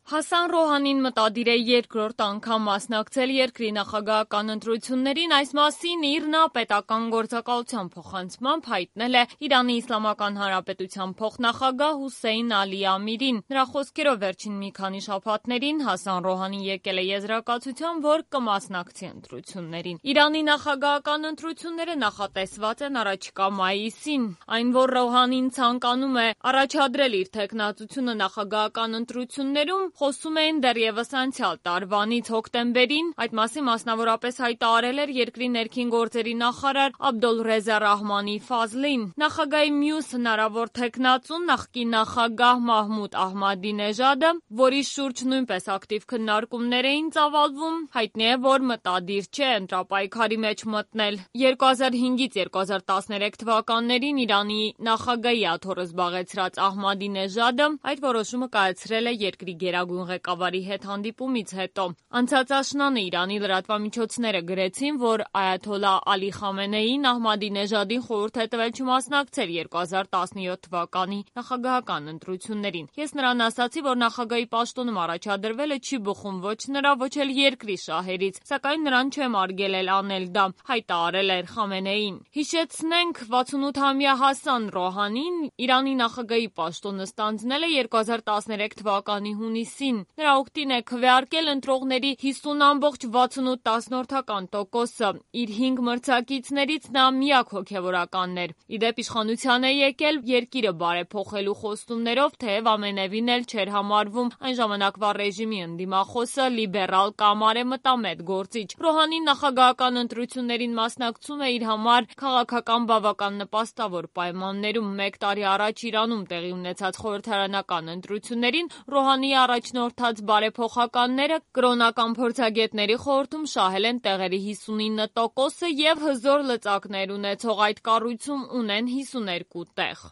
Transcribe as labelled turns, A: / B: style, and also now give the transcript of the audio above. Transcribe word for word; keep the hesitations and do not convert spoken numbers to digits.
A: Հասան Ռոհանին մտադիր է երկրորդ անգամ մասնակցել երկրի նախագահական ընտրություններին, այս մասին իր նա պետական գործակալության փոխանցմամբ հայտնել է Իրանի Իսլամական Հանրապետության փոխնախագահ Հուսեյն Ալի Ամիրին։ Նրա խոսքերով վերջին մի քանի շաբաթներին Հասան Ռոհանին եկել է եզրակացության, որ կմասնակցի ընտրություններին։ Իրանի նախագահական ընտրությունները նախատեսված են առաջիկա մայիսին։ Այն, որ Ռոհանին ցանկանում է առաջադրել իր թեկնածությունը նախագահական ընտրություններում, խոսում էին դեռևս անցյալ տարվանից հոկտեմբերին, այդ մասին մասնավորապես հայտարարել էր երկրի ներքին գործերի նախարար Աբդոլռեզա Ռահմանի Ֆազլին։ Նախագահի մյուս հնարավոր թեկնածուն նախկին նախագահ Մահմուդ Ահմադինեժադը, որի շուրջ նույնպես ակտիվ քննարկումներ էին ծավալվում, հայտնի է, որ մտադիր չէ ընտրապայքարի մեջ մտնել։ երկու հազար հինգից երկու հազար տասներեք թվականներին Իրանի նախագահի աթոռը զբաղեցրած Ահմադինեժադը այդ որոշումը կայացրել է երկրի գերագույն ղեկավարի հետ հանդիպումից հետո։ Անցած աշնանը Իրանի լրատվամիջոցները գրեցին, որ այաթոլլահ Ալի Խամենեին Ահմադինեժադին խորհուրդ է տվել չմասնակցել երկու հազար տասնյոթ թվականի նախագահական ընտրություններին։ Ես նրան ասացի, որ նախագահի պաշտոնում առաջադրվելը չի բխում ոչ նրա, ոչ էլ երկրի շահերից, սակայն նրան չեմ արգելել անել դա, հայտարարել էր Խամենեին։ Հիշեցնենք, վաթսունութամյա Հասան Ռոհանին Իրանի նախագահի պաշտոնը ստանձնել է երկու հազար տասներեք թվականի հունիսին։ Նրա օգտին է քվեարկել ընտրողների հիսուն ամբողջ վաթսունութ տասնորդական տոկոսը։ Իր հինգ մրցակիցներից նա միակ հոգևորականն էր։ Ի դեպ իշխանության է եկել երկիրը բարեփոխելու խոստումներով, թեև ամենևին էլ չէր համարվում այն ժամանակվա ռեժիմի ընդդիմախոսը լիբերալ կամ արևմտամետ գործիչ։ Ռոհանին նախագահական ընտրություններին մասնակցում է իր համար քաղաքական բավական նպաստավոր պայմաններում։ Մեկ տարի առաջ Իրանում տեղի ունեցած խորհրդարանական ընտրություններին Ռոհանիի առաջնորդած բարեփոխականները կրոնական փորձագետների խորհրդում շահել են տեղերի հիսունինը տոկոսը և հզոր լծակներ ունեցող այդ կառույցում ունեն հիսուներկու տեղ։